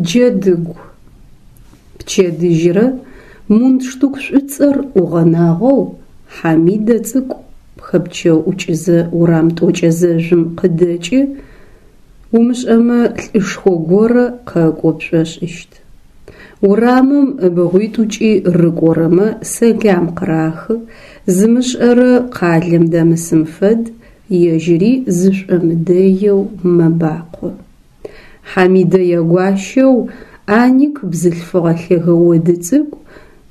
Джэдыгу. Пчэдыжьрэ мундштук шӏуцӏэр ӏугъэнагъэу Хьамидэ цӏыкӏу хэпчэуӏукӏызэ урам тӏокӏэ зэжъум къыдэкӏы, умышӏэмэ лӏышхо горэ къэкӏо пшӏошӏыщт. Урамым ыбгъуитӏукӏи рыкӏорэмэ сэлам къырахы, зымышӏэрэ къалэм дэмысым фэд, ежьыри зышӏомыдэеу мэбакъо. Хьамидэ ягуащэу Аник бзылъфыгъэ лъэгэ оды цӏыкӏу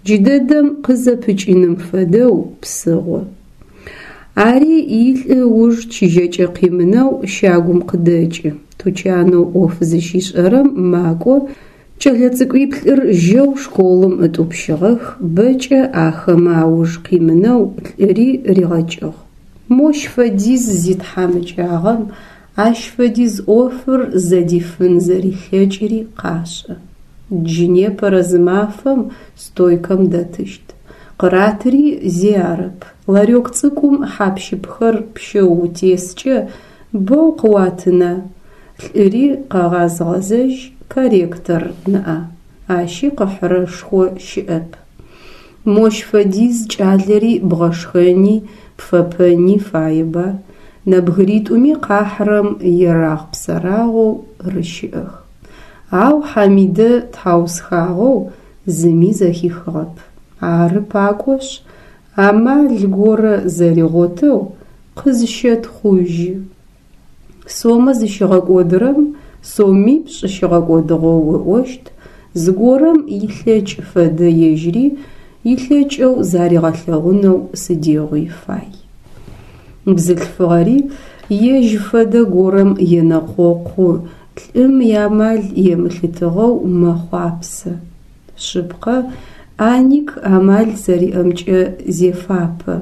джыдэдэм къызэпыкӏыным фэдэу псыгъо. Ари илӏы ыуж чыжьэкӏэ къимынэу щагум къыдэкӏы, тучанэу ӏоф зыщишӏэрэм макӏо, кӏэлэцӏыкӏуиплӏыр жьэу школым ытӏупщыгъэх, бэкӏэ ахэмэ ауж къимынэу лӏыри ригъэкӏыгъ. Мощ фэдиз зитхьамыкӏагъэм ащ фэдиз ӏофыр зэдифын зэрилъэкӏыри къашӏэ. Джы непэрэ зы мафэм стойкэм дэтыщт. Къыратыри зи арэп, ларек цӏыкӏум хьап-щыпхэр пщэу утескӏэ бэу къыуатына, лӏыри къэгъаз-гъэзэжь корректор ныӏа, ащи къыхьырэшхо щыӏэп. Мощ фэдиз кӏалэри бгъэшхэни пфэпэни фаеба, нэбгыритӏуми къахьрэм ерагъ-псэрагъэу рыщыӏэх. Ау Хьамидэ тхьаусхагъэу зыми зэхихыгъэп. Ары пакӏошъ, амал горэ зэригъотэу къызщэтхъужьы. Сомэ зыщигъэкӏодырэм сомипшӏ щигъэкӏодыгъэу ыӏощт, зыгорэм илъэкӏ фэдэ ежьыри илъэкӏэу заригъэлъэгъунэу сыдигъуи фай. Бзылъфыгъэри ежь фэдэ горэм енэкъокъу, лӏым иамал емылъытыгъэу мэхъуапсэ. Шъыпкъэ, Аник амал зэриӏэмкӏэ зефапэ,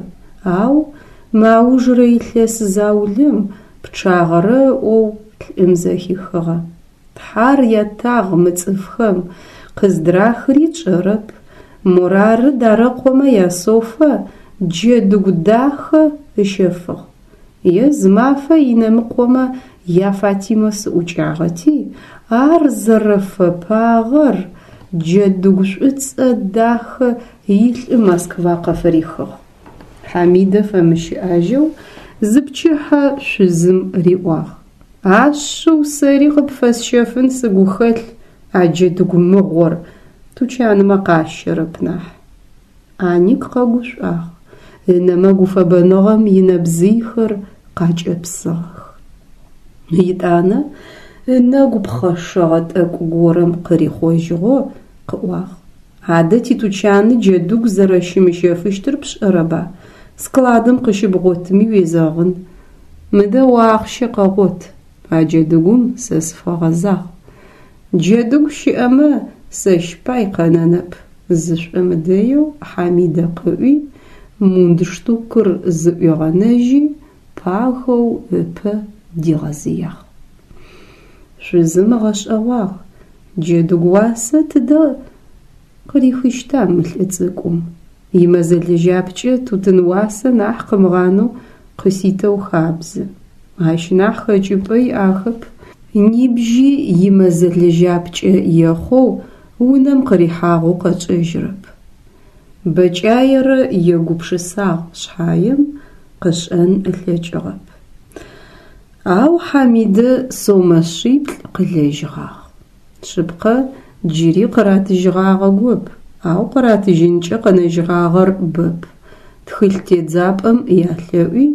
ау мы аужырэ илъэс заулэм пчъагъэрэ ыӏоу лӏым зэхихыгъэ. Тхьар ятагъ мы цӏыфхэм, къыздрахыри тшӏэрэп, морары Дарэкъомэ я Софэ джэдыгу дахэ ыщэфыгъ. Е зымафэ Инэмыкъомэ я Фатимэ сыӏукӏагъэти, ар зэрэфэпагъэр джэдыгу шӏуцӏэ дахэ илӏы Москва къыфырихыгъ. Хьамидэ фэмыщыӏэжьэу зыпчыхьэ шъузым риӏуагъ: Ашъыу сэри къыпфэсщэфын сыгу хэлъ а джэдыгу мыгъор, тучанмэ къащэрэп нахь. Аник къэгушӏуагъ, ынэмэ гуфэбэныгъэм инэбзыйхэр къакӏэпсыгъэх. Етӏанэ ынэгу пхъэшэгъэ тӏэкӏу горэм къырихъожьыгъэу къыӏуагъ: Адэ титучаны джэдыгу зэрэщымыщэфыщтыр пшӏэрэба? Складым къыщыбгъотыми уезэгъын. Мыдэ о ахъщэ къэгъот, а джэдыгум сэ сыфэгъэзагъ. Джэдыгу щыӏэмэ, сэщ пай къэнэнэп, зышӏомыдэеу Хьамидэ къыӏуи, мундштукыр зыӏуигъэнэжьи, пахэу ыпэ дигъэзыягъ. Шъузым ыгъэшӏэгъуагъ, Джэдыгу уасэ тыдэ къырихыщта мы лӏы цӏыкӏум? Имэзэ лэжьапкӏэ тутын уасэ нахь къымыгъанэу къыситэу хабзэ. Ащ нахь хэкӏыпӏэ иӏахэп. Нибжьи имэзэ лэжьапкӏэ ехъоу унэм къырихьагъэу къэчӏэжьырэп. Бэкӏаерэ егупшысагъ шъхьаем, къышӏэн ылъэкӏыгъэп. Ау Хьамидэ сомэ шъиплӏ къылэжьыгъагъ. Шъыпкъэ, джыри къыратыжьыгъагъэгоп, ау къыратыжьынкӏэ къэнэжьыгъагъэр бэп. Тхылъ тедзапӏэм ялъэӏуи,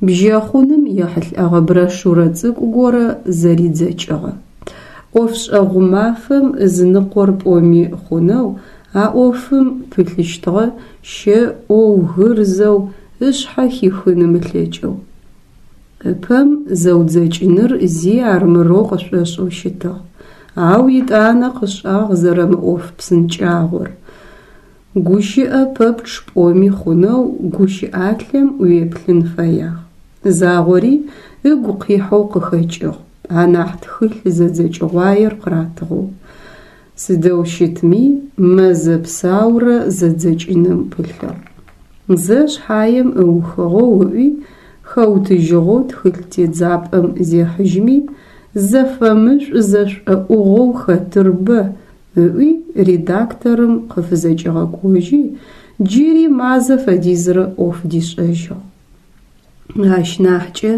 бжьэхъуным ехьылӏэгъэ брошюрэ цӏыкӏу горэ зэридзэкӏыгъэ. ӏофшӏэгъу мафэм ызыныкъор пӏоми хъунэу а ӏофым пылъыщтыгъэ, щэӏоу, гырзэу, ышъхьэ хихын ымылъэкӏэу. Ыпэм зэудзэкӏыныр зи армырэу къышӏошӏэу щытыгъ, ау етӏанэ къышӏагъ зэрэмыӏоф псынкӏагъор. Гущыӏэ пэпчъ пӏоми хъунэу гущыӏалъэм уеплъын фэягъ. Загъори ыгу къихьэу къыхэкӏыгъ, анахь тхылъ зэдзэкӏыгъуаер къыратыгъэу. Сыдэу щытми, мэзэ псаурэ зэдзэкӏыным пылъыгъ. Зэ шъхьаем ыухыгъэу ыӏуи, хэутыжьыгъэу тхылъ тедзапӏэм зехьыжьми, зэфэмышӏу-зэшӏоӏугъэу хэтыр бэ, ыӏуи редакторым къыфызэкӏигъэкӏожьи, джыри мазэ фэдизрэ ӏоф дишӏэжьыгъ. Ащ нахькӏэ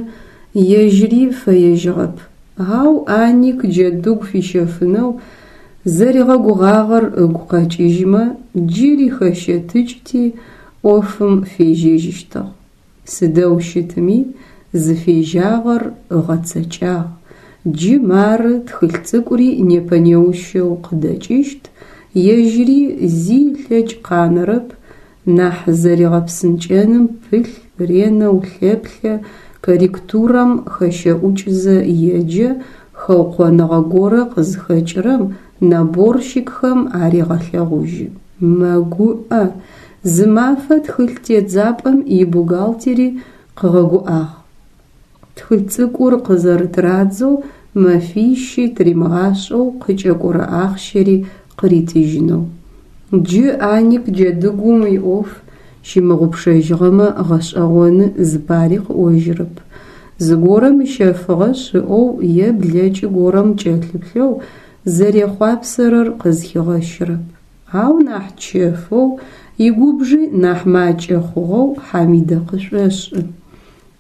ежьыри фэежьыгъэп, ау Аник джэдыгу фищэфынэу зэригъэгугъагъэр ыгу къэкӏыжьмэ, джыри хэщэтыкӏти, ӏофым фежьэжьыщтыгъ. Сыдэу щытми, зыфежьагъэр ыгъэцэкӏагъ, джы мары тхылъ цӏыкӏури непэ-неущэу къыдэкӏыщт, ежьыри зи ылъэкӏ къанэрэп, нахь зэригъэпсынкӏэным пылъ ренэу лъэплъэ, корректурэм хэщэӏукӏзэ еджэ, хэукъоныгъэ горэ къызхэкӏырэм наборщикхэм арегъэлъэгъужьы. Мэгуӏэ, зымафэ тхылъ тедзапӏэм ибухгалтери къыгъэгуӏагъ. Тхылъ цӏыкӏур къызэрытырадзэу мэфищи тыримыгъашӏэу къыкӏэкӏорэ ахъщэри къыритыжьынэу. Джы Аник джэдыгум иӏоф щымыгъупшэжьыгъэмэ гъэшӏэгъоны зыпари къыӏожьырэп. Зыгорэм ыщэфыгъэшъ ыӏоу е блэкӏы горэм кӏэлъыплъэу зэрехъуапсэрэр къызхигъэщырэп. Ау нахь чэфэу, игубжи нахь макӏэ хъугъэу Хьамидэ къышӏошӏы.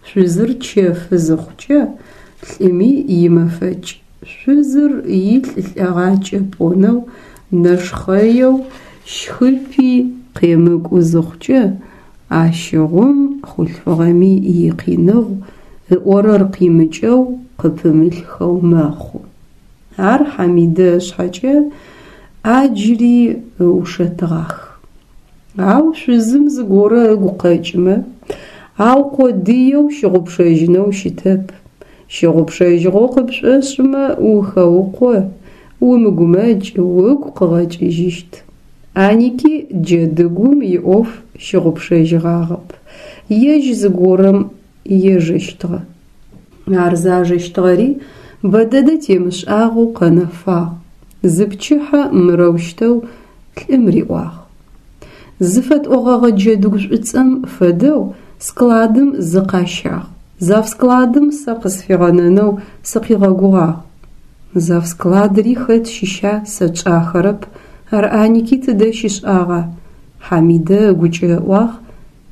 Шъузыр чэфы зыхъукӏэ, лӏыми имэфэкӏ. Шъузыр илӏ лӏэгъакӏэ пӏонэу, нэшхъэеу, щхыпи къемыкӏу зыхъукӏэ, ащыгъум хъулъфыгъэми икъиныгъу, ыӏорэр къимыкӏэу, къыпымылъхэу мэхъу. Ар Хьамидэ ышъхьэкӏэ ӏаджри ыушэтыгъах. Ау шъузым зыгорэ ыгу къэкӏымэ, аукъодыеу щыгъупшэжьынэу щытэп. Щыгъупшэжьыгъэу къыпшӏошӏымэ, ухэукъо, умыгумэкӏ, угу къыгъэкӏыжьыщт. Аники джэдыгум иӏоф щыгъупшэжьыгъагъэп, ежь зыгорэм ежэщтыгъэ. Ар зажэщтыгъэри бэдэдэ темышӏагъэу къэнэфагъ. Зыпчыхьэ мырэущтэу лӏым риӏуагъ. Зыфэтӏогъэгъэ джэдыгу шӏуцӏэм фэдэу складым зы къащагъ. Завскладым сэ къысфигъэнэнэу сыкъигъэгугъагъ. Завскладри хэт щыща сэ тшӏахэрэп, ар Аники тыдэ щишӏагъа? Хьамидэ ыгукӏэ ыӏуагъ,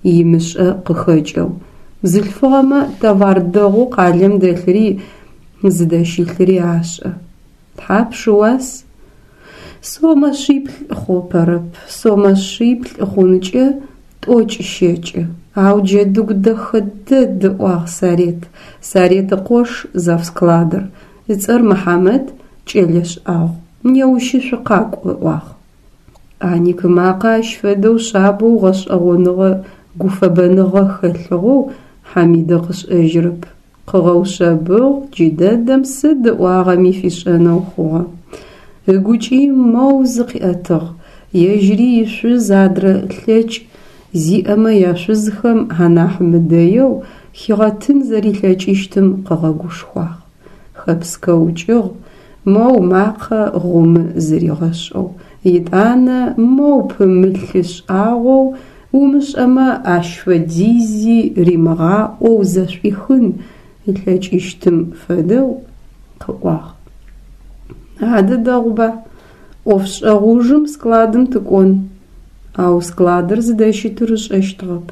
имышӏэ къыхэкӏэу. Бзылъфыгъэмэ товар дэгъоу къалэм дэлъыри зыдэщылъыри ашӏэ. Тхьапш ыуас? Сомэ шъиплӏ хъупэрэп, сомэ шъиплӏ хъункӏэ тӏокӏ-щэкӏы. Ау джэдыгу дэхэ дэд, ыӏуагъ Сарет. Сарет ыкъош завскладыр. Ыцӏэр Мыхьамэт, кӏэлэ шӏагъу. Неущы шъукъакӏу, ыӏуагъ. Аник ымакъэ ащ фэдэу шъабэу гъэшӏэгъоныгъэ гуфэбэныгъэ хэлъыгъэу Хьамидэ къышӏэжьырэп. Къыгъэушъэбыгъ, джыдэдэм сыд ыӏуагъэми фишӏэнэу хъугъэ. Ыгукӏи моу зыкъиӏэтыгъ, ежьыри ишъуз адрэ лъэкӏ зиӏэмэ яшъузхэм анахь мыдэеу хигъэтын зэрилъэкӏыщтым къыгъэгушхуагъ. Хэпскэукӏыгъ, моу макъэ гъумы зыригъэшӏэу, етӏанэ моу пымылъы шӏагъоу умышӏэмэ ащ фэдизи римыгъаӏоу зэшӏуихын ылъэкӏыщтым фэдэу къыӏуагъ. Адэ дэгъуба, ӏофшӏэгъу ужым складым тыкӏон. Ау складыр зыдэщытыр ышӏэщтыгъэп.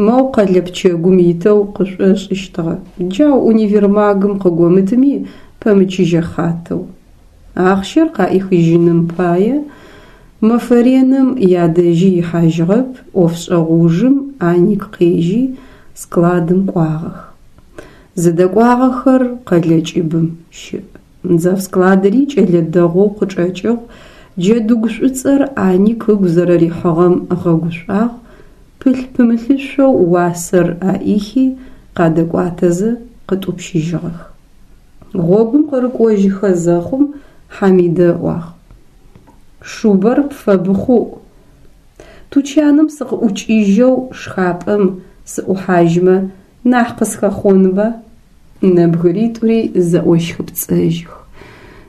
Моу къэлэ пчэгум итэу къышӏошӏыщтыгъэ, джау универмагым къыгомытми пэмычыжьэ хъатэу. Ахъщэр къаӏихыжьыным пае мэфэ реным ядэжьи ихьажьыгъэп, ӏофшӏэгъу ужым Аник къежьи, складым кӏуагъэх. Зыдэкӏуагъэхэр къэлэ кӏыбым щыӏ. Завскладыри кӏэлэ дэгъоу къычӏэкӏыгъ, джэдыгу шӏуцӏэр Аник ыгу зэрэрихьыгъэм ыгъэгушӏуагъ, пылъ-пымылъышъоу уасэр аӏихи, къадэкӏуатэзэ къытӏупщыжьыгъэх. Гъогум къырыкӏожьыхэ зэхъум Хьамидэ ыӏуагъ: Шубэр пфэбыхъуӏу. Тучаным сыкъыӏукӏыжьэу шхапӏэм сыӏухьажьмэ, нахь къысхэхъонба? Нэбгыритӏури зэӏощхыпцӏэжьых.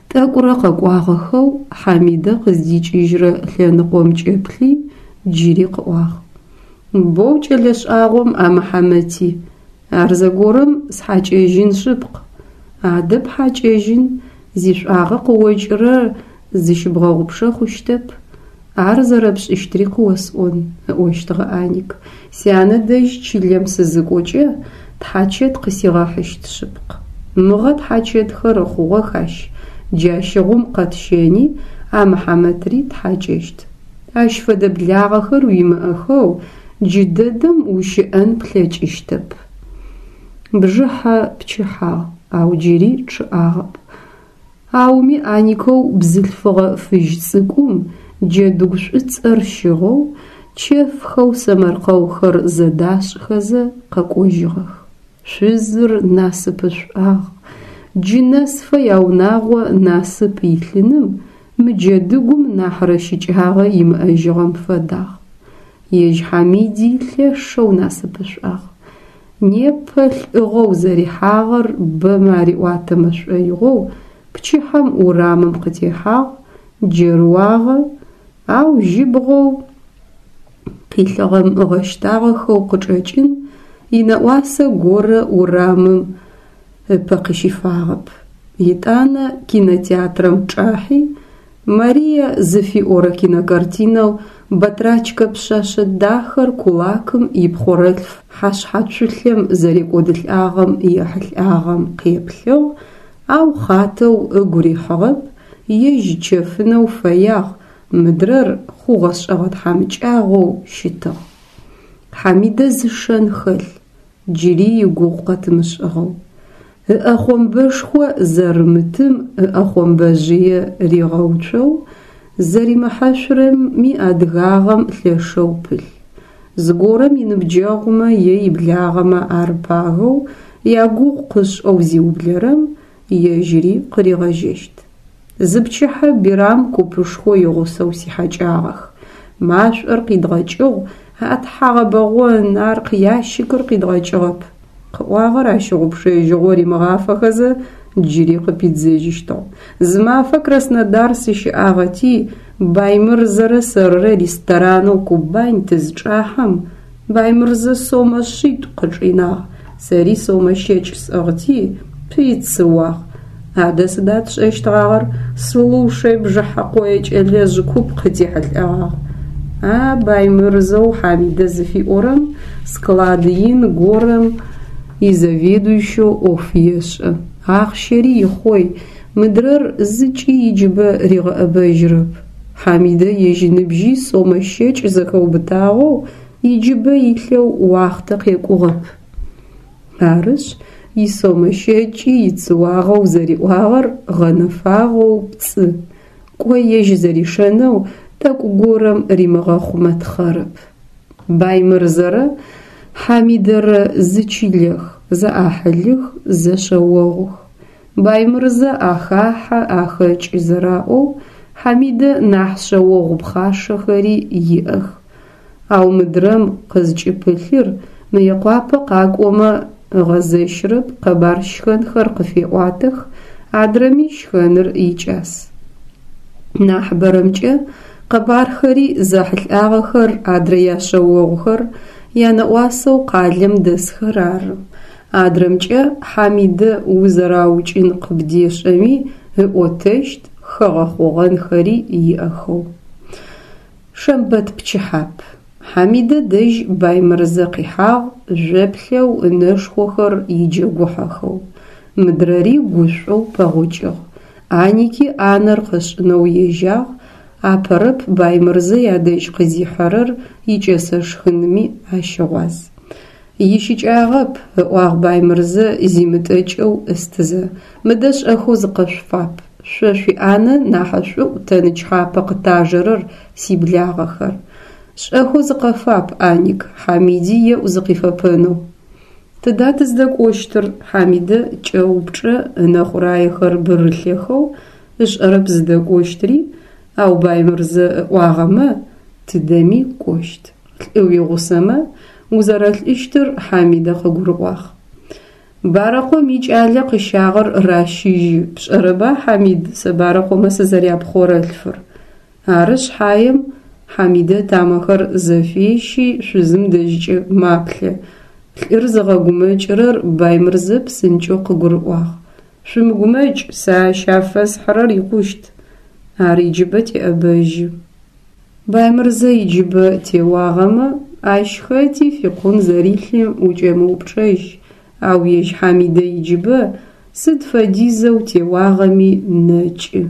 Тӏэкӏурэ къэкӏуагъэхэу Хьамидэ къыздикӏыжьрэ лъэныкъомкӏэ плъи, джыри къыӏуагъ. Боу кӏэлэ шӏагъом а Мыхьамэти, ар зэгорэм схьакӏэжьын шъыпкъ. Адэ пхьакӏэжьын, зишӏуагъэ къыокӏырэр зыщыбгъэгъупшэ хъущтэп. Ар зэрэпшӏыщтри къыосӏон, ыӏощтыгъэ Аник. Сянэ дэжь чылэм сызыкӏокӏэ, тхьачэт къысигъэхьыщт шъыпкъ. Мыгъэ тхьачэтхэр ыхъугъэх ащ, джащыгъум къэтщэни, а Мыхьамэтри тхьакӏэщт. Ащ фэдэ благъэхэр уимыӏэхэу джыдэдэм ущыӏэн плъэкӏыщтэп. Бжыхьэ пчыхьагъ, ау джыри чъыӏагъэп. Ауми Аникэу бзылъфыгъэ фыжь цӏыкӏум джэдыгу шӏуцӏэр щыгъэу, чэфхэу сэмэркъэухэр зэдашӏхэзэ къэкӏожьыгъэх. Шъузыр насыпышӏуагъ. Джы нэсфэ яунагъо насып илъыным мы джэдыгум нахьрэ щыкӏагъэ имыӏэжьыгъэм фэдагъ. Ежь Хьамиди лъэшэу насыпышӏуагъ. Непэ лӏыгъэу зэрихьагъэр бэмэ ариӏуатэмэ шӏоигъоу пчыхьэм урамым къытехьагъ, джэрыуагъэ, ау жьыбгъэу къилъыгъэм ыгъэщтагъэхэу къычӏэкӏын, инэӏуасэ горэ урамым ыпэ къыщифагъэп. Етӏанэ кинотеатрэм чӏахьи, Мария зыфиӏорэ кинокартинэу батрачкэ пшъэшъэ дахэр кулакым ипхъорэлъф хьашъхьацулъэм зэрекӏодылӏагъэм ехьылӏагъэм къеплъыгъ, ау хъатэу ыгу рихьыгъэп, ежь чэфынэу фэягъ, мыдрэр хъугъэ-шӏэгъэ тхьамыкӏагъоу щытыгъ. Хьамидэ зы шэн хэлъ, джыри игугъу къэтымышӏыгъэу. Ыӏэхъомбэшхо зэрымытым ыӏэхъомбэжъые ригъэуцоу зэримыхьэшъурэми адыгагъэм лъэшэу пылъ. Зыгорэм иныбджэгъумэ е иблагъэмэ арыпагэу ягугъу къышӏэу зиублэрэм, ежьыри къыригъэжьэщт. Зыпчыхьэ Бирам купышхо игъусэу сихьэкӏагъэх. Машӏор къидгъэкӏыгъ, а тхьагъэбэгъон, аркъ ящикыр къидгъэкӏыгъэп. Къыӏуагъэр ащыгъупшэжьыгъо римыгъафэхэзэ, джыри къыпидзэжьыщтыгъ. Зымафэ Краснодар сыщыӏагъэти, Баймырзэрэ сэрырэ ресторанэу Кубань тызчӏахьэм, Баймырзэ сомэ шъитӏу къычӏинагъ, сэри сомэ щэкӏ сӏыгъти, пыйцыуагъ. Адэ сыда тшӏэщтгъагъэр, слушай, Бжыхьэкъое кӏэлэжъ куп къытихьылӏэгъагъ. А Баймырзэу Хьамидэ зыфиӏорэм склад ин горэм изаведующэу ӏоф ешӏэ, ахъщэри ихъой, мыдрэр зыкӏи иджыбэ ригъэӏэбэжьрэп. Хьамидэ ежь ныбжьи сомэ щэкӏ зэхэубытагъэу иджыбэ илъэу уахътэ къекӏугъэп. Арышъ, исомэ щэкӏи ицыуагъэу зэриӏуагъэр гъэнэфагъэу пцӏы. Кӏо ежь зэришэнэу тӏэкӏу горэм римыгъэхъумэ тхъэрэп. Баймырзэрэ Хьамидэрэ зы чылэх, зэӏахьылых, зэшъэогъух. Баймырзэ ахахьэ, ахэкӏы зэраӏоу, Хьамидэ нахь шъэогъу пхъашэхэри иӏэх. Ау мыдрэм къызкӏыпылъыр Мыекъуапэ къакӏомэ ыгъэзэщрэп, къэбар щхэнхэр къыфеӏуатэх, адрэми щхэныр икӏас. Нахьыбэрэмкӏэ къэбархэри зэхьылӏагъэхэр адрэ яшъэогъухэр, янэӏуасэу къалэм дэсхэр ары. Адрэмкӏэ Хьамидэ узэраукӏын къыбдешӏэми ыӏотэщт, хэгъэхъогъэнхэри иӏэхэу. Шэмбэт пчыхьап. Хьамидэ дэжь Баймырзэ къихьагъ жъоплъэу ынэшхохэр иджэгухьэхэу. Мыдрэри гушӏоу пэгъокӏыгъ. Аники ӏанэр къышӏынэу ежьагъ, апэрэп Баймырзэ ядэжь къызихьэрэр икӏэсэ шхынми ащыгъуаз. Ищыкӏагъэп, ыӏуагъ Баймырзэ зимытӏэкӏэу ыстызэ, мыдэ шӏэхэу зыкъэшъуфап. Шъо шъуиӏанэ нахьышӏуӏу тэ нычхьапэ къытажэрэр, сиблагъэхэр. Шӏэхэу зыкъэфап, Аник, Хьамиди еӏу зыкъифэпэнэу. Тыда тыздэкӏощтыр? Хьамидэ кӏэупчӏэ, ынэ хъураехэр бырылъэхэу, ышӏэрэп зыдэкӏощтри, ау Баймырзэ ыӏуагъэмэ, тыдэми кӏощт. Лӏы уигъусэмэ, узэрэлӏыщтыр Хьамидэ къыгурыӏуагъ. Барэкъом икӏалэ къыщагъэр ращыжьы, пшӏэрэба, Хьамид, сэ Барэкъомэ сызэряпхъорэлъфыр? Ары шъхьаем, Хьамидэ ытамэхэр зэфещи, шъузым дэжькӏэ маплъэ. Лӏыр зыгъэгумэкӏырэр Баймырзэ псынкӏэу къыгурыӏуагъ. Шъумыгумэкӏ, сэ ащ афэсхьырэр икъущт. Ар иджыбэ теӏэбэжьы. Баймырзэ иджыбэ теуагъэмэ, ащ хэти фикъун зэрилъым укӏэмыупчӏэжь, ау ежь Хьамидэ иджыбэ сыд фэдизэу теуагъэми нэкӏы.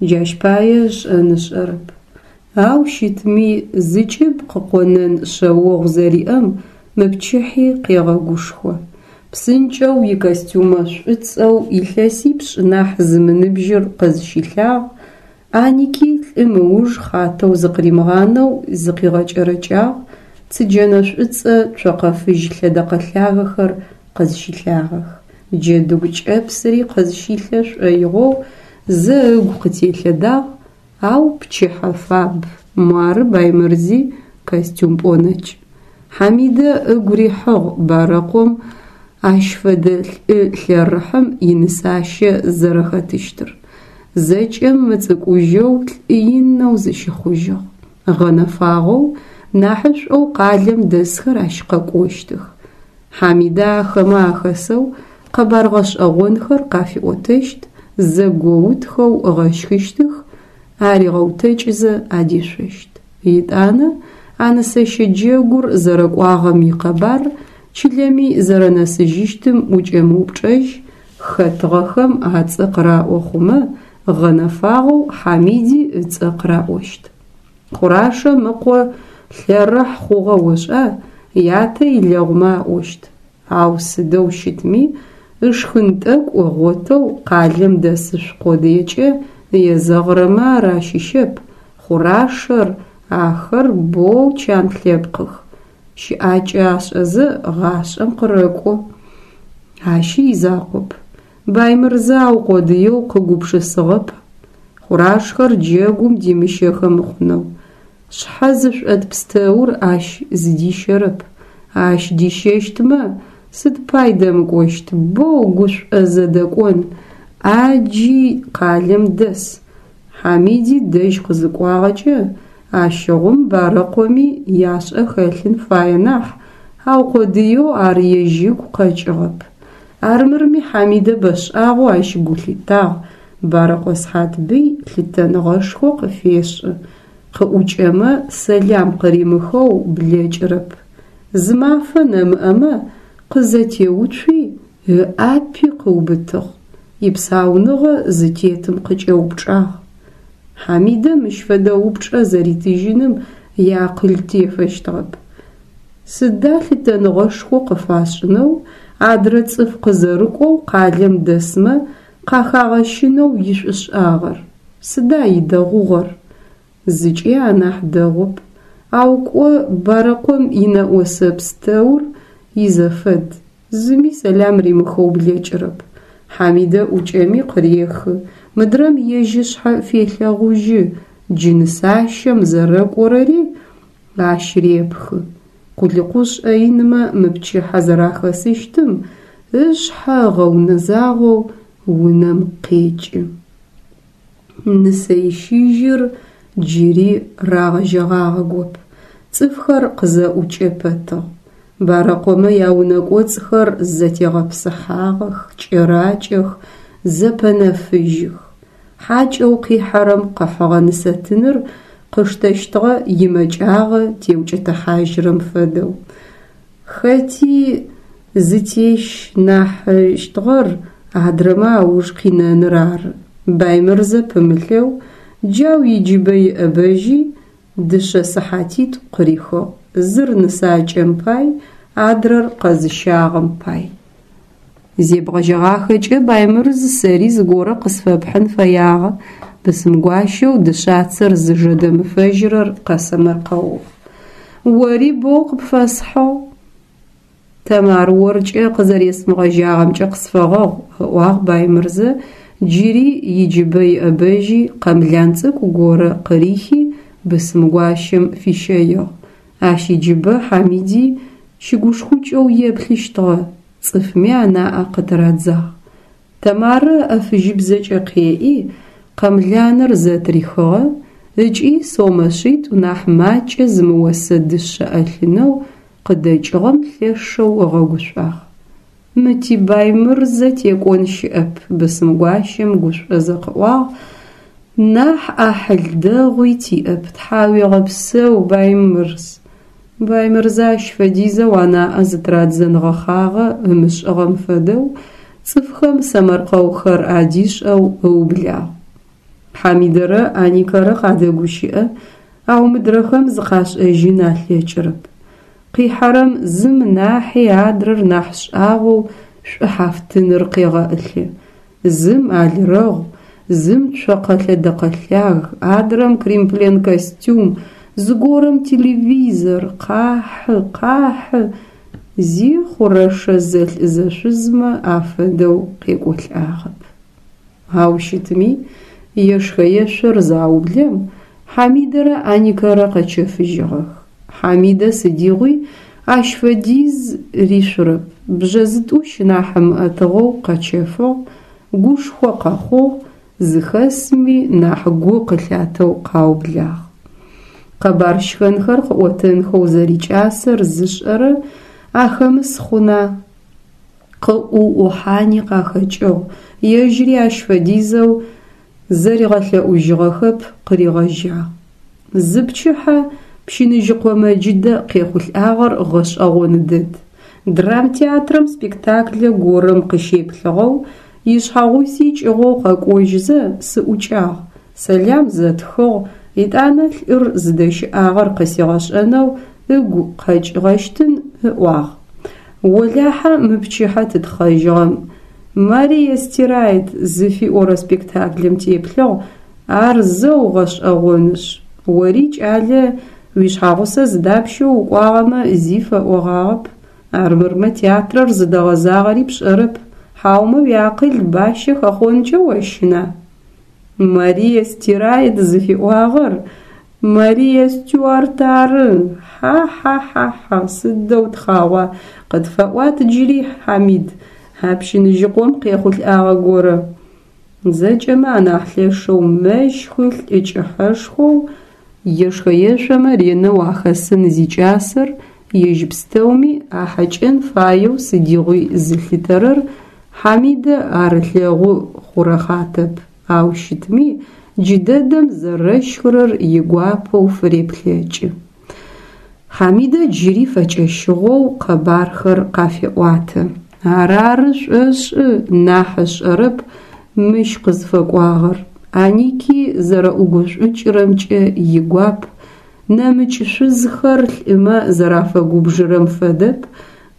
Джащ пае ышӏэн ышӏэрэп. Ау щытми, зыкӏыб къыкъонэн шъэогъу зэриӏэм мы пчыхьи къегъэгушхо. Псынкӏэу икостюмэ шӏуцӏэу илъэсипшӏ нахь зымыныбжьыр къызщилъагъ, Аники лӏым ыуж хъатэу зыкъыримыгъанэу зыкъигъэкӏэрэкӏагъ, цыджэнэ шӏуцӏэ цокъэ фыжь лъэдэкъэ лъагэхэр къызщилъагъэх. Джэдыгу кӏэпсыри къызщилъэ шӏоигъоу зэ ыгу къытелъэдагъ, ау пчыхьэ фаб, муары Баймырзи костюм пӏонэкӏ. Хьамидэ ыгу рихьыгъ Барэкъом ащ фэдэ лӏы лъэрыхьым инысащэ зэрэхэтыщтыр. Зэкӏэм мыцӏыкӏужьэу лӏы инэу зыщыхъужьыгъ. Гъэнэфагъэу, нахьышӏоу къалэм дэсхэр ащ къэкӏощтых. Хьамидэ ахэмэ ахэсэу къэбар гъэшӏэгъонхэр къафиӏотэщт, зэгоутхэу ыгъэщхыщтых, аригъэутэкӏызэ адешъощт. Етӏанэ а нысэщэ джэгур зэрэкӏуагъэм икъэбар чылэми зэрэнэсыжьыщтым укӏэмыупчӏэжь, хэтыгъэхэм ацӏэ къыраӏо хъумэ, гъэнэфагъэу Хьамиди ыцӏэ къыраӏощт. Хъурашэм ыкъо лъэрыхь хъугъэ ошӏа, ятэ илэгъумэ аӏощт. Ау сыдэу щытми, ышхын тӏэкӏу ыгъотэу къалэм дэсышъу къодыекӏэ езэгъырэмэ ар ащыщэп, Хъурашэр, ахэр боу чан лъэпкъых, щыӏакӏэ ашӏэзэ гъашӏэм къырэкӏо. Ащи изакъоп. Баймырзэ аукъодыеу къыгупшысыгъэп Хъурашхэр джэгум димыщэхэ мыхъунэу. Шъхьэ зышӏот пстэур ащ зыдищэрэп. Ащ дищэщтмэ, сыд пай дэмыкӏощт, боу гушӏозэ дэкӏон, ӏаджи къалэм дэс. Хьамиди дэжь къызыкӏуагъэкӏэ, ащыгъум Барэкъоми яшӏэ хэлъын фае нахь, аукъодыеу ар ежь ыгу къэкӏыгъэп. Армырми Хьамидэ бэшӏагъэу ащ гу лъитагъ, Барэкъо Схьатбый лъытэныгъэшхо къыфешӏы, къыӏукӏэмэ, сэлам къыримыхэу блэкӏырэп. Зы мафэ нэмыӏэмэ, къызэтеуцуи, ыӏапи къыубытыгъ, ипсауныгъэ зытетым къыкӏэупчӏагъ. Хьамидэ мыщ фэдэ упчӏэ зэритыжьыным иакъыл тефэщтыгъэп. Сыда лъытэныгъэшхо къыфашӏынэу адрэ цӏыф къызэрыкӏоу къалэм дэсмэ къахагъэщынэу ишӏушӏагъэр? Сыда идэгъугъэр? Зыкӏи анахь дэгъоп, ау кӏо Барэкъом инэӏосэ пстэур изэфэд, зыми сэлам римыхэу блэкӏырэп. Хьамидэ ӏукӏэми къырехы, мыдрэм ежь ышъхьэ фелъэгъужьы, джы нысащэм зэрэкӏорэри ащ репхы. Къулыкъушӏэ инмэ мы пчыхьэ зэрахэсыщтым ышъхьэ ыгъэунэзагъэу унэм къекӏы. Нысэищыжьыр джыри рагъэжьэгъагъэгоп, цӏыфхэр къызэӏукӏэ пэтыгъ. Барэкъомэ яунэ кӏоцӏхэр зэтегъэпсыхьагъэх, кӏэракӏэх, зэпэнэфыжьых. Хьакӏэу къихьэрэм къыхьыгъэ нысэтыныр къыштэщтыгъэ имэкӏагъэ теукӏытыхьажьрэм фэдэу. Хэти зытещынахьыщтыгъэр адрэмэ ауж къинэныр ары. Баймырзэ пымылъэу, джау иджыбэ иӏэбэжьи, дышъэ сыхьатитӏу къырихыгъ, зыр нысакӏэм пай, адрэр къэзыщагъэм пай. Зебгъэжьэгъахэкӏэ, Баймырз, сэри зыгорэ къысфэпхьын фэягъэ, бысымгуащэу дышъацэр зыжэ дэмыфэжьырэр къэсэмэркъэугъ. Ори боу къыпфэсхьыгъ. Тэмар, оркӏэ къызэресымыгъэжьагъэмкӏэ къысфэгъэгъу, ыӏуагъ Баймырзэ, джыри иджыбэ иӏэбэжьи къэмлан цӏыкӏу горэ къырихи, бысымгуащэм фищэигъ. Ащ иджыбэ Хьамиди щыгушхукӏэу еплъыщтыгъэ, цӏыфми анаӏэ къытырадзагъ. Тэмарэ ыӏэ фыжьыбзэкӏэ къеӏи, къэмланыр зэтырихыгъэ ыкӏи сомэ шъитӏу нахь макӏэ зымыосэ дышъэ ӏэлъынэу къыдэкӏыгъэм лъэшэу ыгъэгушӏуагъ. Мы ти Баймырзэ текӏон щыӏэп, бысымгуащэм гушӏозэ къыӏуагъ, нахь ӏахьыл дэгъуи тиӏэп, тхьауегъэпсэу, Баймырз. Баймырзэ ащ фэдизэу анаӏэ зытырадзэн гъэхъагъэ ымышӏыгъэм фэдэу цӏыфхэм сэмэркъэухэр адишӏэу ыублагъ. Хьамидэрэ Аникэрэ къадэгущыӏэ, ау мыдрэхэм зыкъашӏэжьын алъэкӏырэп. Къихьэрэм зым нахьи адрэр нахь шӏагъоу шӏухьафтыныр къегъэӏылъы. Зым алрэгъу, зым цокъэ лъэдэкъэ лъаг, адрэм кримплен костюм, зыгорэм телевизор, къахьы, къахьы, зи хъурэшэ зэлӏ-зэшъузмэ афэдэу къекӏолӏагъэп. Ау щытми, ешхэ-ешъор заублэм, Хьамидэрэ Аникэрэ къэчэфыжьыгъэх. Хьамидэ сыдигъуи ащ фэдиз ришъурэп, бжъэ зытӏущ нахь ымыӏэтыгъэу къэчэфыгъ, гушхо къэхъугъ, зыхэсми нахь гу къылъатэу къаублагъ. Къэбар щхэнхэр къыӏотэнхэу зэрикӏасэр зышӏэрэ ахэмыс хъуна? Къыӏуӏухьани къахэкӏыгъ, ежьыри ащ фэдизэу зэригъэлъэӏужьыгъэхэп, къыригъэжьагъ. Зыпчыхьэ Пщыныжьыкъо Мэджыдэ къехъулӏагъэр гъэшӏэгъон дэд. Драмтеатрэм спектаклэ горэм къыщеплъыгъэу, ишъхьэгъуси кӏыгъоу къэкӏожьызэ сыӏукӏагъ, сэлам зэтхыгъ, етӏанэ лӏыр зыдэщыӏагъэр къысигъэшӏэнэу ыгу къэкӏыгъэщтын ыӏуагъ. Олахьэ мы пчыхьэ тытхъэжьыгъэм, Мария стирает зыфиӏорэ спектаклым теплъыгъ, ар зэу гъэшӏэгъонышъ. Ори, кӏалэ, уишъхьэгъусэ зыдапщэу укӏуагъэмэ зи фэӏогъагъэп, армырмэ театрэр зыдэгъэзагъэри пшӏэрэп, хьаумэ уиакъыл бащэ хэхъонкӏэ ощына? Мария стирает зыфиӏуагъэр Мария Стюарт ары! Хьа-хьа-хьа-хьа, сыдэу тхъагъуа, къытфэӏуат джыри, Хьамид, а Пщыныжьыкъом къехъулӏагъэ горэ. Зэкӏэмэ анахь лъэшэу мэщхы лӏы кӏыхьэшхоу ешхэ-ешъомэ ренэу ахэсын зикӏасэр ежь пстэуми ахьэкӏэн фаеу сыдигъуи зылъытэрэр Хьамидэ ар ылъэгъу хъурэхъатэп, ау щытми джыдэдэм зэрэщхырэр игуапэу фыреплъэкӏы. Хьамидэ джыри фэкӏэщыгъоу къэбархэр къафеӏуатэ. Арары шӏошӏы нахь ышӏэрэп мыщ къызфэкӏуагъэр. Аники зэрэӏугушӏукӏырэмкӏэ игуап, нэмыкӏ шъузхэр лӏымэ зэрафэгубжырэм фэдэп,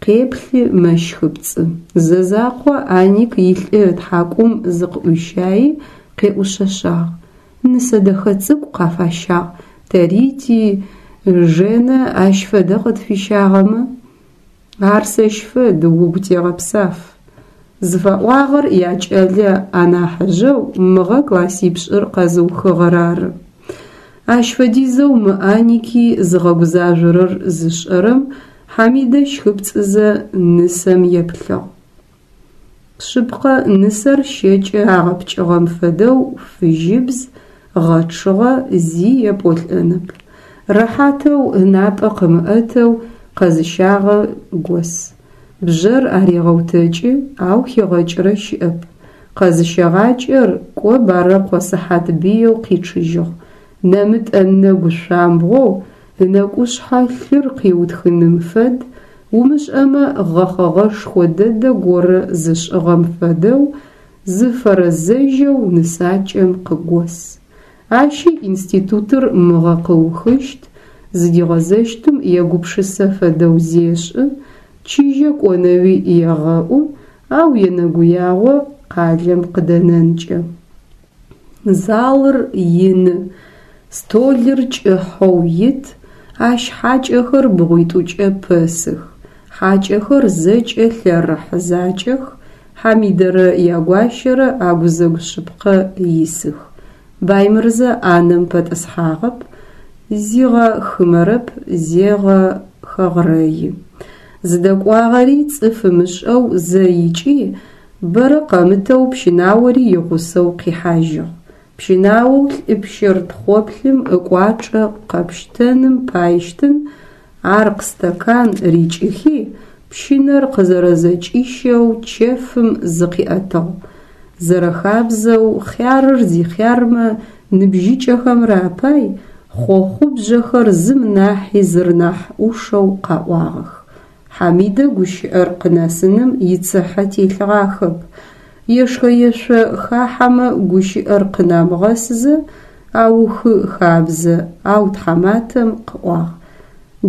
къеплъы мэщхыпцӏы. Зэ закъо Аник илӏы ытхьакӏум зыкъыӏуищаи къеӏушъэшъагъ. Нысэ дэхэ цӏыкӏу къафащагъ, тэри ти Женэ ащ фэдэ къытфищагъэмэ? Ар сэщ фэд, угу тегъэпсаф. Зыфаӏуагъэр якӏэлэ анахьыжъэу мыгъэ классипшӏыр къэзыухыгъэр ары. Ащ фэдизэу мы Аники зыгъэгузажъорэр зышӏэрэм Хьамидэ щхыпцӏызэ нысэм еплъыгъ. Шъыпкъэ, нысэр щэкӏэ агъэпкӏыгъэм фэдэу фыжьыбз, гъэчъыгъэ, зи епӏолӏэнэп. Рэхьатэу, ынапӏэ къымыӏэтэу къэзыщагъэ гос. Бжъэр арегъэутэкӏы, ау хигъэкӏырэ щыӏэп. Къэзыщэгъакӏэр кӏо Барэкъо Сыхьатбыеу къичъыжьыгъ. Нэмытӏэ нэгу шъуамбгъоу ынэкӏушъхьэ лъыр къиутхыным фэд, умышӏэмэ гъэхъэгъэшхо дэдэ горэ зышӏыгъэм фэдэу зыфэрэзэжьэу нысакӏэм къыгос. Ащи институтыр мыгъэ къыухыщт, зыдигъэзэщтым егупшысэ фэдэу зешӏы, чыжьэ кӏонэуи егъэӏу, ау енэгуягъо къалэм къыдэнэнкӏэ. Залыр ины, столыр кӏыхьэу ит, ащ хьакӏэхэр бгъуитӏукӏэ пэсых. Хьакӏэхэр зэкӏэ лъэрыхь закӏэх, Хьамидэрэ ягуащэрэ агузэгу шъыпкъэ исых. Баймырзэ ӏанэм пэтӏысхьагъэп, зигъэхымэрэп, зегъэхэгърэи. Зыдэкӏуагъэри цӏыф ымышӏэу зэ икӏи, бэрэ къэмытэу пщынаори игъусэу къихьажьыгъ. Пщынаоу лӏы пщэр тхъоплъым ыкӏуачӏэ къэпштэным пайщтын аркъ стакан рикӏыхи, Пщынэр къызэрэзэкӏищэу чэфым зыкъиӏэтыгъ. Зэрэхабзэу, хъярыр зихъярмэ ныбжьыкӏэхэмрэ апай хъохъубжъэхэр зым нахьи зыр нахь ӏушэу къаӏуагъэх. Хьамидэ гущыӏэр къынэсыным ицыхьэ телъыгъахэп. Ешхэ-ешъо хахьэмэ гущыӏэр къынамыгъэсызэ аухы хабзэ, ау тхьаматэм къыӏуагъ: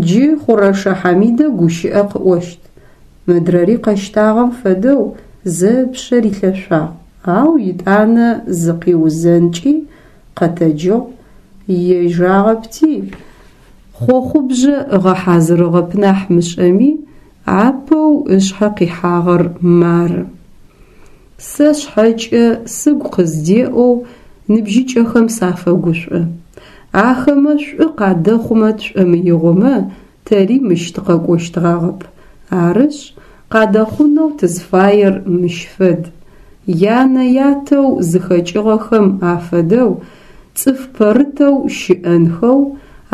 Джы Хъурэшэ Хьамидэ гущыӏэ къыӏощт. Мыдрэри къэщтагъэм фэдэу зэ ыпшъэ рилъэшъуагъ, ау етӏанэ зыкъиузэнкӏи къэтэджыгъ, ежагъэпти, хъохъубжъэ ыгъэхьазырыгъэп нахь мышӏэми, апэу ышъхьэ къихьагъэр мары. Сэ сшъхьэкӏэ сыгу къыздеӏэу ныбжьыкӏэхэм сафэгушӏо. Ахэмэ шӏу къадэхъумэ тшӏомыигъомэ, тэри мыщ тыкъэкӏощтгъагъэп. Арышъ, къадэхъунэу тызфаер мыщ фэд. Янэ-ятэу зыхэкӏыгъэхэм афэдэу цӏыф пэрытэу щыӏэнхэу,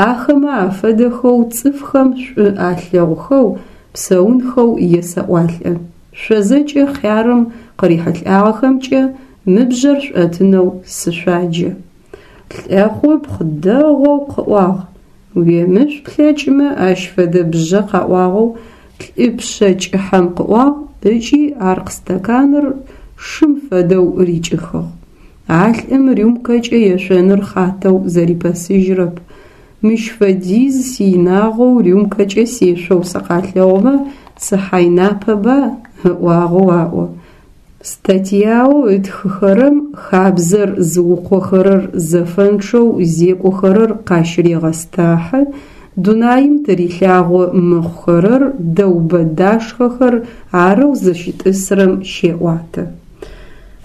ахэмэ афэдэхэу цӏыфхэм шӏу алъэгъухэу псэунхэу есэӏуалӏэ. Шъо зэкӏэ хъярым къырихьылӏагъэхэмкӏэ мы бжъэр шъуӏэтынэу сышъуаджэ. Лӏэхъупхъ дэгъоу къыӏуагъ. Уемышъу плъэкӏымэ ащ фэдэ бжъэ къаӏуагъэу лӏы пшъэ кӏыхьэм къыӏуагъ ыкӏи аркъ стаканыр шым фэдэу рикӏыхыгъ. А лӏым рюмкэкӏэ ешъоныр хъатэу зэрипэсыжьрэп. Мыщ фэдиз сиинагъэу рюмкэкӏэ сешъоу сыкъалъэгъумэ сыхьайнапэба? ыӏуагъэу аӏо. Статьяу ытхыхэрэм хабзэр зыукъохэрэр зэфэнчъэу зекӏохэрэр къащырегъэстахьы, дунаим тырилъагъо мыхъухэрэр дэубэ-дашхэхэр арэу зыщытӏысрэм щеӏуатэ.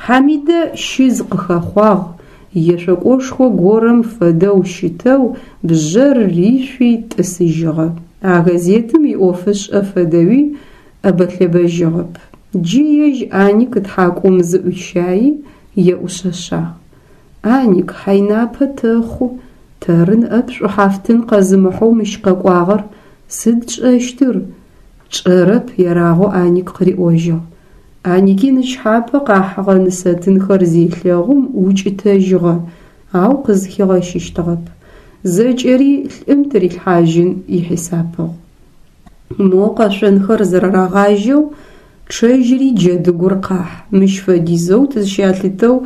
Хьамидэ щыз къыхэхъуагъ, ешъокӏошхо горэм фэдэу щытэу бжъэр ришъуи тӏысыжьыгъэ. А газетым иӏофышӏэ фэдэуи ӏэбэ-лъэбэжьыгъэп. Джы ежь Аник тхьакӏум зыӏуищаи, еӏушъэшъагъ. Аник, хьайнапэ тэхъу, тэры ныӏэп шӏухьафтын къэзымыхьэу мыщ къэкӏуагъэр, сыд тшӏэщтыр? Тшӏэрэп, ерагъэу Аник къыриӏожьыгъ. Аники нычхьапэ къахьыгъэ нысэтынхэр зелъэгъум укӏытэжьыгъэ, ау къызхигъэщыщтыгъэп. Зэкӏэри лӏым тырилъхьажьын ихьисапыгъ. Мо къэшъонхэр зэрэрагъажьэу чъэжьри джэдыгур къахь, мыщ фэдизэу тызщалъытэу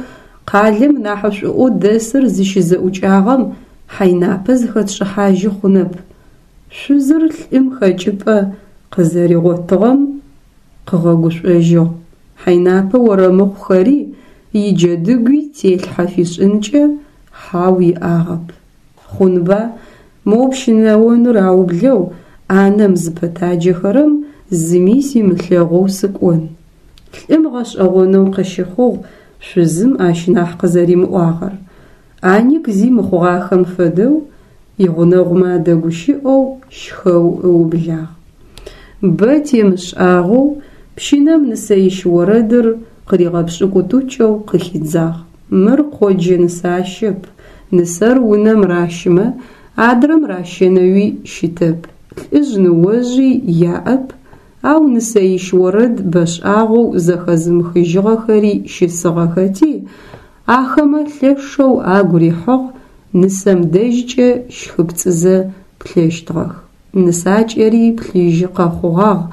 къалэм нахьышӏуӏоу дэсыр зыщызэӏукӏагъэм хьайнапэ зыхэтшӏыхьажьы хъунэп. Шъузыр лӏым хэкӏыпӏэ къызэригъотыгъэм къыгъэгушӏожьыгъ. Хьайнапэ орэмыхъухэри иджэдыгуи телъхьэ фишӏынкӏэ хьау иӏагъэп. Хъунба, моу пщынэоныр аублэу ӏанэм зыпэтаджэхэрэм зыми симылъэгъоу сыкӏон. Лӏым гъэшӏэгъонэу къыщыхъугъ шъузым ащ нахь къызэримыӏуагъэр. Аник зи мыхъугъахэм фэдэу игъунэгъумэ адэгущыӏэу щхэу ыублагъ. Бэ темышӏагъэу пщынэм нысэищ орэдыр къыригъэпшӏыкӏутӏукӏэу къыхидзагъ. Мыр къоджэ нысащэп, нысэр унэм ращымэ, адрэм ращэнэуи щытэп, лӏыжъ-ныожъи яӏэп, ау нысэищ орэд бэшӏагъэу зэхэзымыхыжьыгъэхэри щысыгъэхэти, ахэмэ лъэшэу агу рихьыгъ, нысэм дэжькӏэ щхыпцӏызэ плъэщтыгъэх. Нысакӏэри плъыжьы къэхъугъагъ,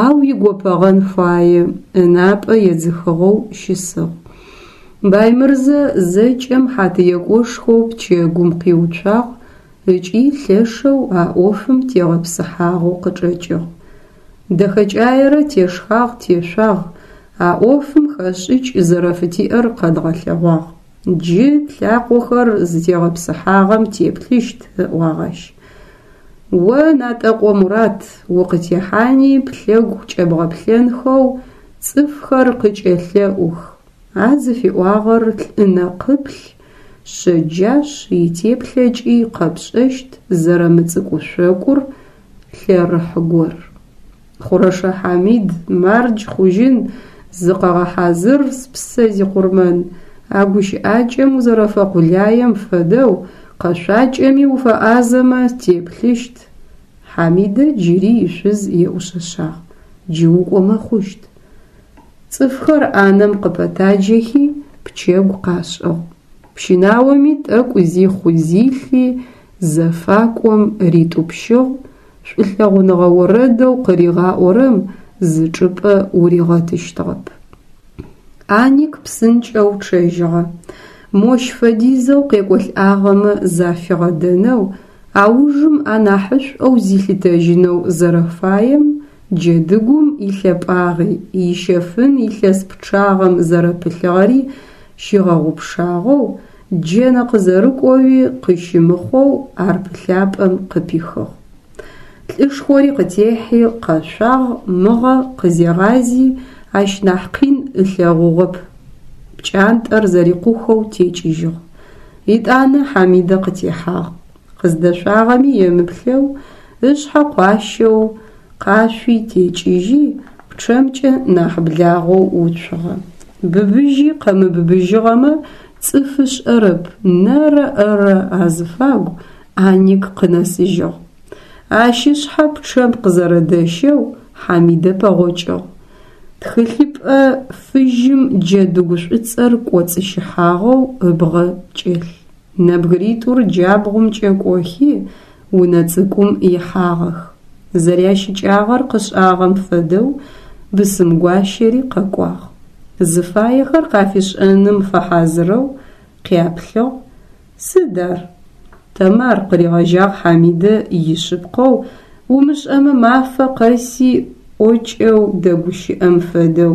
ау игопэгъэн фае, ынапӏэ едзыхыгъэу щысыгъ. Баймырзэ зэкӏэм хьатыекӏошхоу пчэгум къиуцуагъ ыкӏи лъэшэу а ӏофым тегъэпсыхьагъэу къычӏэкӏыгъ. Дэхэкӏаерэ тешхагъ-тешъуагъ, а ӏофым хэшӏыкӏ зэрэфытиӏэр къэдгъэлъэгъуагъ. Джы тлъакъохэр зытегъэпсыхьагъэм теплъыщт, ыӏуагъ ащ. О, Натӏэкъо Мурат, укъытехьани плъэгу кӏэбгъэплъэнхэу цӏыфхэр къыкӏэлъэӏух. А зыфиӏуагъэр лӏы нэкъыплъ шъэджашъ, итеплъэкӏи къэпшӏэщт зэрэмыцӏыкӏушъокӏур лъэрыхь гор. Хъурэшэ Хьамид, мардж хъужьын, зыкъэгъэхьазыр, спсэ зикъурмэн, а гущыӏакӏэм узэрэфэкъулаем фэдэу къэшъуакӏэми уфэӏазэмэ, теплъыщт. Хьамидэ джыри ишъуз еӏушъэшъагъ. Джы укӏомэ хъущт. Цӏыфхэр ӏанэм къыпэтаджэхи, пчэгу къашӏыгъ. Пщынаоми тӏэкӏу зихъу-зилъи зэфакӏом ритӏупщыгъ, шӏулъэгъуныгъэ орэдэу къыригъаӏорэм зы чӏыпӏэ уригъэтыщтыгъэп. Аник псынкӏэу чъэжьыгъэ. Мощ фэдизэу къекӏолӏагъэмэ зафигъэдэнэу, аужым анахьышӏоу зилъытэжьынэу зэрэфаем джэдыгум илъэпӏагъи, ищэфын илъэс пчъагъэм зэрэпылъыгъэри щигъэгъупшагъэу, джэнэ къызэрыкӏоуи къыщымыхъоу ар пылъапӏэм къыпихыгъ. Лӏышхори къытехьи къэшъуагъ, мыгъэ къызегъази ащ нахь къин ылъэгъугъэп, пкӏантӏэр зэрикъухэу текӏыжьыгъ. Етӏанэ Хьамидэ къытехьагъ. Къыздэшъуагъэми емыплъэу, ышъхьэ къуащэу къашъуи текӏыжьи, пчъэмкӏэ нахь благъэу уцугъэ. Быбыжьи къэмыбыбыжьыгъэмэ, цӏыф ышӏэрэп, нэрэ-ӏэрэ азыфагу Аник къынэсыжьыгъ. Ащ ышъхьэ пчъэм къызэрэдэщэу Хьамидэ пэгъокӏыгъ. Тхылъыпӏэ фыжьым джэдыгу шӏуцӏэр кӏоцӏыщыхьагъэу ыбгъэ кӏэлъ. Нэбгыритӏур джабгъумкӏэ кӏохи, унэ цӏыкӏум ихьагъэх. Зэрящыкӏагъэр къышӏагъэм фэдэу бысымгуащэри къэкӏуагъ. Зыфаехэр къафишӏэным фэхьазырэу къяплъыгъ, Сыд ар? Тэмар, къыригъэжьагъ Хьамидэ ишъыпкъэу, умышӏэмэ мафэ къэси ӏокӏэу дэгущыӏэм фэдэу.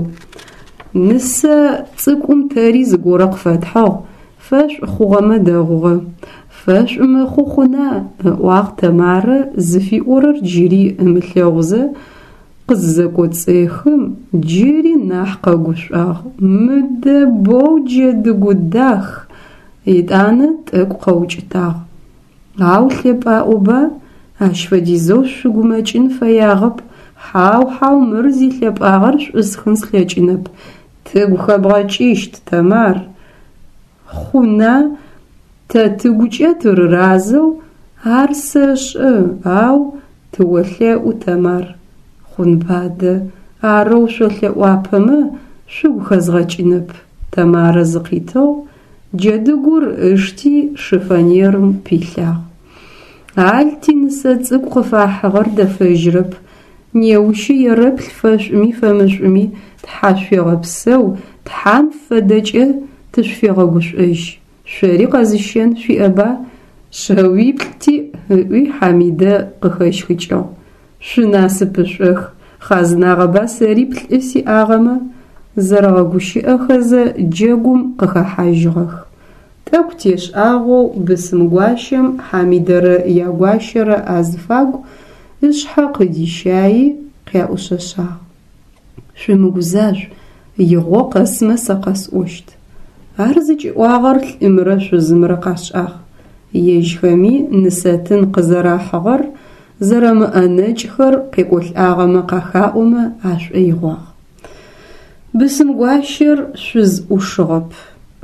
Нысэ цӏыкӏум тэри зыгорэ къыфэтхьыгъ, фэшӏу хъугъэмэ дэгъугъэ. Фэшӏу мыхъу хъуна? ыӏуагъ Тэмарэ зыфиӏорэр джыри ымылъэгъузэ, къызызэкӏоцӏехым, джыри нахь къэгушӏуагъ, Мыдэ боу джэдыгу дах! Етӏанэ тӏэкӏу къэукӏытагъ. Ау лъэпӏаӏоба, ащ фэдизэу шъугумэкӏын фэягъэп, хьау, хьау, мыр зилъэпӏагъэр шӏусхын слъэкӏынэп. Тыгу хэбгъэкӏыщт, Тэмар. Хъуна, тэ тыгукӏэ тырыразэу, ар сэшӏэ, ау тыолъэӏу, Тэмар. Хъунба адэ, арэу шъолъэӏуапэмэ, шъугу хэзгъэкӏынэп, Тэмарэ зыкъитыгъ, Джэдыгур ышти шифонерым пилъагъ. Ал тинысэ цӏыкӏу къыфахьыгъэр дэфэжьрэп, неущи ерэплъ фэшӏуми фэмышӏуми, тхьашъуегъэпсэу, Тхьам фэдэкӏэ тышъуфегъэгушӏожь. Шъори къэзыщэн шъуиӏэба? Шъэуиплӏ тиӏ, ыӏуи Хьамидэ къыхэщхыкӏыгъ. Шъунасыпышӏох, хъазнагъэба сэри плӏы сиӏагъэмэ, зэрэгъэгущыӏэхэзэ джэгум къыхэхьажьыгъэх. Тӏэкӏу тешӏагъэу бысымгуащэм Хьамидэрэ ягуащэрэ азыфагу ышъхьэ къыдищаи, къяӏушъэшъагъ. Шъумыгузажъу, игъо къэсмэ сэ къэсӏощт. Ар зыкӏиӏуагъэр лӏымрэ шъузымрэ къашӏагъ. Ежьхэми нысэтын къызэрахьыгъэр, зэрэмыӏэнэкӏхэр къекӏолӏагъэмэ къахаӏомэ ашӏоигъуагъ. Бысымгуащэр шъуз ӏушыгъэп.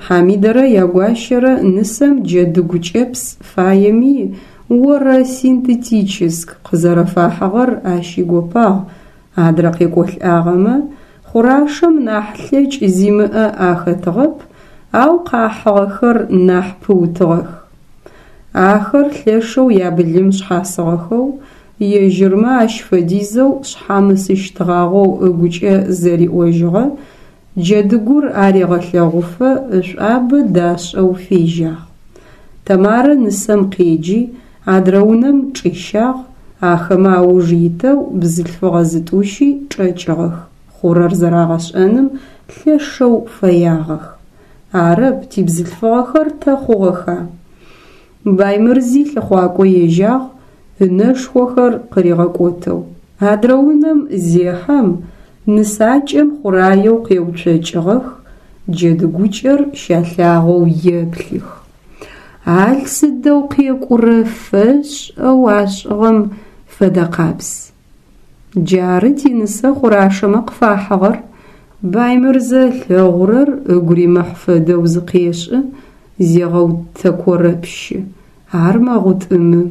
Хьамидэрэ ягуащэрэ нысэм джэдыгу кӏэпс фаеми орэ синтетическ къызэрэфахьыгъэр ащ игопагъ, Адрэ къекӏолӏагъэмэ, Хъурашэм нахь лъэкӏ зимыӏэ ахэтыгъэп, ау къахьыгъэхэр нахь пыутыгъэх. Ахэр лъэшэу ябылым шъхьасыгъэхэу, ежьырмэ ащ фэдизэу шъхьамысыщтгъагъэу ыгукӏэ зэриӏожьыгъэ, Джэдыгур арегъэлъэгъуфэ ышӏуабэ дашӏэу фежьагъ. Тэмарэ нысэм къеджи, адрэ унэм чӏищагъ, ахэмэ ауж итэу бзылъфыгъэ зытӏущи чӏэкӏыгъэх, хъурэр зэрагъэшӏэным лъэшэу фэягъэх. Арэп, тибзылъфыгъэхэр тэ хъугъэха? Баймырзи лъыхъуакӏо ежьагъ, ынэшхохэр къыригъэкӏотэу. Адрэ унэм зехьэм, нысакӏэм хъураеу къеуцокӏыгъэх, джэдыгукӏэр щалъагъоу еплъых. Ал сыдэу къекӏурэ фэшӏэу ашӏыгъэм фэдэкъабз. Джары тинысэ Хъурашэмэ къыфахьыгъэр, Баймырзэ ылъэгъурэр ыгу римыхь фэдэу зыкъешӏы, зегъэутэкорэпщы. Ар мэгъутӏымы.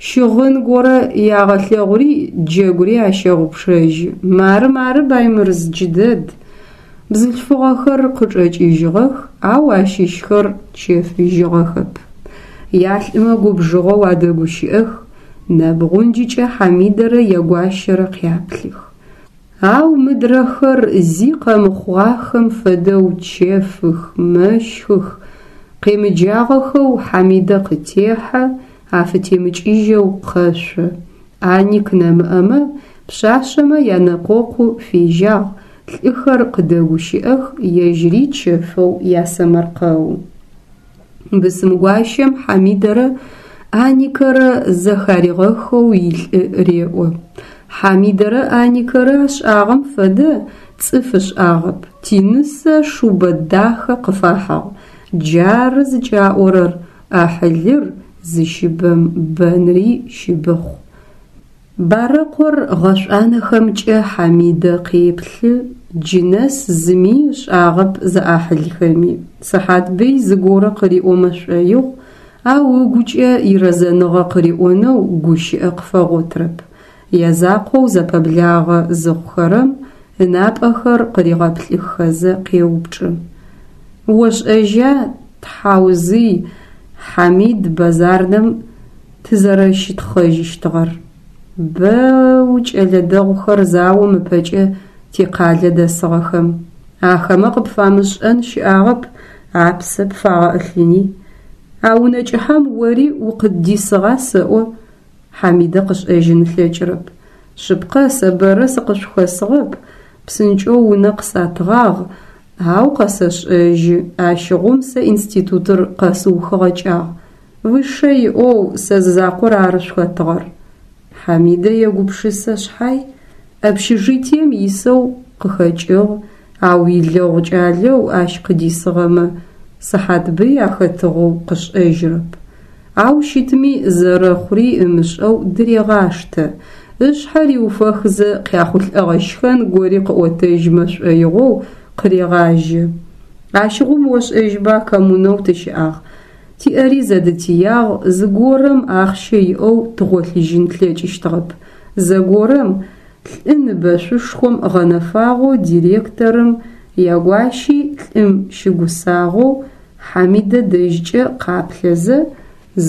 Щыгъын горэ ягъэлъэгъури джэгури ащэгъупшэжьы. Мары, мары, Баймырз, джыдэд. Бзылъфыгъэхэр къычӏэкӏыжьыгъэх, ау ащыщхэр чэфыжьыгъэхэп. Ялӏымэ губжыгъэу адэгущыӏэх, нэбгъунджыкӏэ Хьамидэрэ ягуащэрэ къяплъых. Ау мыдрэхэр зи къэмыхъугъахэм фэдэу чэфых, мэщхых, къемыджагъэхэу Хьамидэ къытехьэ, афытемыкӏыжьэу къэшъо. Аник нэмыӏэмэ, пшъашъэмэ янэкъокъу фежьагъ, лӏыхэр къыдэгущыӏэх, ежьыри чэфэу ясэмэркъэу. Бысымгуащэм Хьамидэрэ Аникэрэ зэхаригъэхэу илӏы реӏо. Хьамидэрэ Аникэрэ ашӏагъэм фэдэ цӏыф ышӏагъэп, тинысэ шубэ дахэ къыфахьыгъ. Джары зыкӏаӏорэр, ӏахьылыр зыщыбэм бэнри щыбыхъу. Барэкъор гъэшӏуанэхэмкӏэ Хьамидэ къеплъы, джы нэс зыми ышӏагъэп зэӏахьылхэми. Сыхьатбый зыгорэ къыриӏомэ шӏоигъу, ау ыгукӏэ ирэзэныгъэ къыриӏонэу гущыӏэ къыфэгъотрэп. Язакъоу зэпэблагъэ зыхъухэрэм ынапӏэхэр къыригъэплъыххэзэ къеупчӏы. Ошӏэжьа, тхьаузый, Хьамид базарнэм тызэрэщытхъэжьыщтыгъэр. Бэу кӏэлэ дэгъухэр заом ыпэкӏэ тикъалэ дэсыгъэхэм. Ахэмэ къыпфамышӏэн щыӏагъэп, апсэ пфагъэӏылъыни. А унэ кӏыхьэм ори укъыддисыгъа сэӏо? Хьамидэ къышӏэжьын ылъэкӏырэп. Шъыпкъэ, сэ бэрэ сыкъышъухэсыгъэп, псынкӏэу унэ къысатыгъагъ, ау къэсэшӏэжьы, ащыгъум сэ институтыр къэсыухыгъэкӏагъ. Высшэ иӏэу сэ зызакъор ары шъухэтыгъэр. Хьамидэ егупшысэ шъхьай, общежитием исэу къыхэкӏыгъ, ау илэгъу кӏалэу ащ къыдисыгъэмэ Сыхьатбый ахэтыгъэу къышӏэжьрэп. Ау щытми зэрэхъури ымышӏэу дырегъаштэ, ышъхьэ риуфэхызэ къяхъулӏэгъэ щхэн гори къыӏотэжьмэ шӏоигъоу къырегъажьэ. Ащыгъум ошӏэжьба коммунэу тыщыӏагъ, Тиӏэри зэдытиягъ, зыгорэм ахъщэ иӏэу тыгъолъыжьын тлъэкӏыщтыгъэп. Зэгорэм лӏы ныбэшъушхом гъэнэфагъэу директорым ягуащи лӏым щыгусагъэу Хьамидэ дэжькӏэ къаплъэзэ,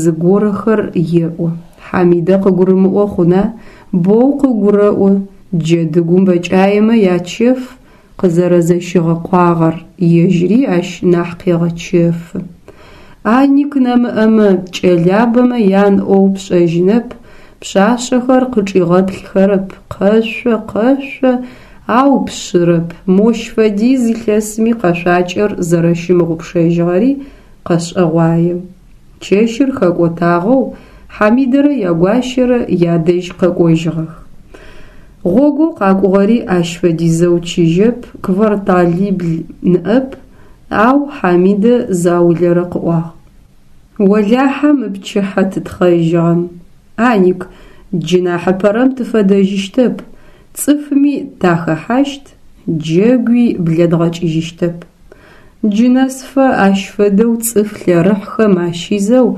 зыгорэхэр еӏо. Хьамидэ къыгурымыӏо хъуна, боу къыгурэӏо, джэдыгум бэкӏаемэ ячэф къызэрэзэщигъэкъуагъэр ежьыри ащ нахь къегъэчэфы. Аник нэмыӏэмэ, кӏэлабэмэ ян ӏоу пшӏэжьынэп, пшъашъэхэр къычӏигъэплъхэрэп, къэшъо, къэшъо, ау пшъырэп, мощ фэдиз илъэсми къэшъуакӏэр зэрэщымыгъупшэжьыгъэри къэшӏэгъуае. Чэщыр хэкӏотагъэу Хьамидэрэ ягуащэрэ ядэжь къэкӏожьыгъэх. Гъогоу къакӏугъэри ащ фэдизэу чыжьэп, кварталибл ныӏэп, ау Хьамидэ заулэрэ къыӏуагъ. Олахьэ мы пчыхьэ тытхъэжьыгъэм. Аник, джы нахьыпэрэм тыфэдэжьыщтэп, цӏыфми тахэхьащт, джэгуи блэдгъэкӏыжьыщтэп. Джы нэсыфэ ащ фэдэу цӏыф лъэрыхьхэм ащизэу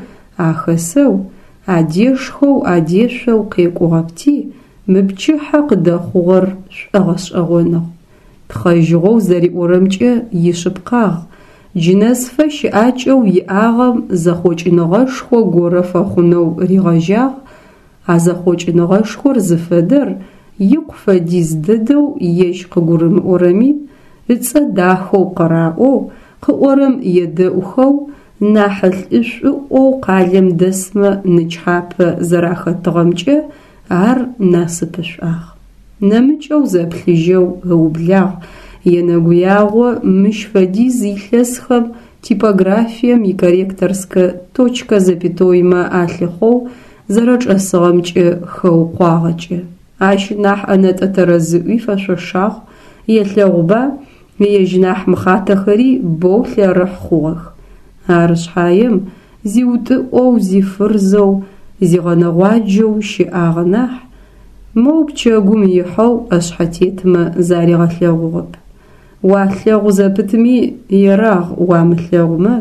ахэсэу, адешхэу адешъоу къекӏугъэпти, мы пчыхьэ къыдэхъугъэр шӏогъэшӏэгъоныгъ. Тхъэжьыгъэу зэриӏорэмкӏэ ишъыпкъагъ, джы нэсыфэ щыӏакӏэу иӏагъэм зэхъокӏыныгъэшхо горэ фэхъунэу ригъэжьагъ, а зэхъокӏыныгъэшхор зыфэдэр икъу фэдиз дэдэу ежь къыгурымыӏорэми, ыцӏэ дахэу къыраӏоу, къыӏорэм едэӏухэу, нахь лӏышӏуӏоу къалэм дэсмэ нычхьапэ зэрахэтыгъэмкӏэ ар насыпышӏуагъ. Нэмыкӏэу зэплъыжьэу ыублагъ, енэгуягъо мыщ фэдиз илъэсхэм типографием икорректорскэ точкэ-запятоймэ алъыхъоу зэрэчӏэсыгъэмкӏэ хэукъуагъэкӏэ. Ащ нахь ӏэнэтӏэ тэрэзыӏуи фэшъошагъ, елъэгъуба, ежь нахь мыхъатэхэри боу лъэрыхь хъугъэх. Ары шъхьаем, зиутӏыӏоу, зифырзэу, зигъэнэгъуаджэу щыӏагъэ нахь, моу пчэгум ихьэу ӏэшъхьэтетмэ заригъэлъэгъугъэп. Уалъэгъу зэпытми, ерагъ уамылъэгъумэ,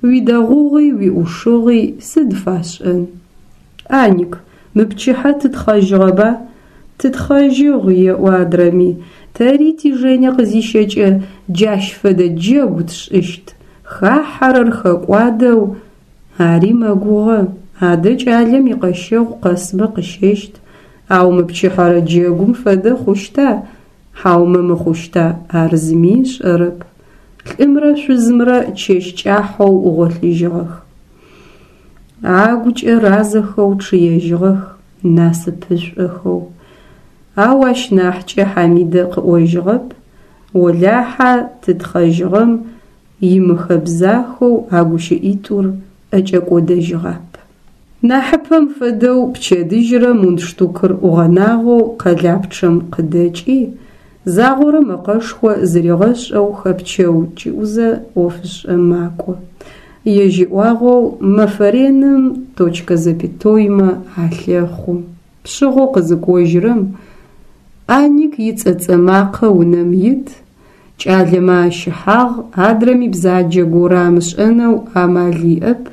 уидэгъугъи уиӏушыгъи сыд фашӏэн. Аник, мы пчыхьэ тытхъэжьыгъэба? Тытхъэжьыгъ, еӏо адрэми, тэри ти Жене къызищэкӏэ джащ фэдэ джэгу тшӏыщт, хахьэрэр хэкӏуадэу, ари мэгугъэ, адэ кӏалэм икъэщэгъу къэсмэ къыщэщт, ау мы пчыхьэрэ джэгум фэдэ хъущта, хьаумэ мыхъущта, ар зыми ышӏэрэп. Лӏымрэ шъузымрэ чэщ кӏахьэу гъолъыжьыгъэх. Агукӏэ разэхэу чъыежьыгъэх, насыпышӏохэу. Ау ащ нахькӏэ Хьамидэ къыӏожьыгъэп, олахьа тытхъэжьыгъэм имыхэбзахэу а гущыӏитӏур ӏэкӏэкӏодэжьыгъап. Нахьыпэм фэдэу пчэдыжьрэ мундштукыр ӏугъэнагъэу къэлапчъэм къыдэкӏи, загъорэ мэкъэшхо зыригъэшӏэу хэпчэу-кӏыӏузэ ӏофышӏэ макӏо. Ежь иӏуагъэу, мэфэ реным точкэ-запятоймэ алъэхъу. Пшъыгъэу къызыкӏожьырэм, Аник ицӏэцӏэ макъэ унэм ит, кӏалэмэ ащыхьагъ, адрэми бзаджэ горэ амышӏэнэу амал иӏэп,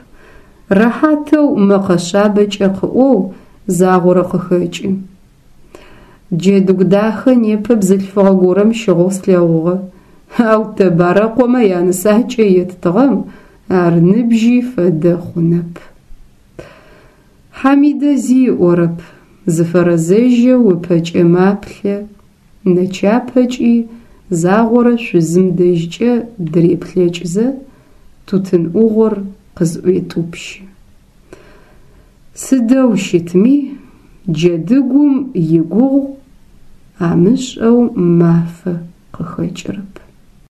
рэхьатэу мэкъэ шъабэкӏэ къыӏоу загъорэ къыхэкӏы. Джэдыгу дахэ непэ бзылъфыгъэ горэм щыгъэу слъэгъугъэ, ау тэ Барэкъомэ янысакӏэ еттыгъэм ар ныбжьи фэдэ хъунэп. Хьамидэ зи ыӏорэп, зыфэрэзэжьэу ыпэкӏэ маплъэ, нэчапэкӏи загъорэ шъузым дэжькӏэ дыреплъэкӏзэ, тутын ӏугъор къызӏуетӏупщы. Сыдэу щытми, джэдыгум игугъу амышӏэу мафэ къыхэкӏырэп.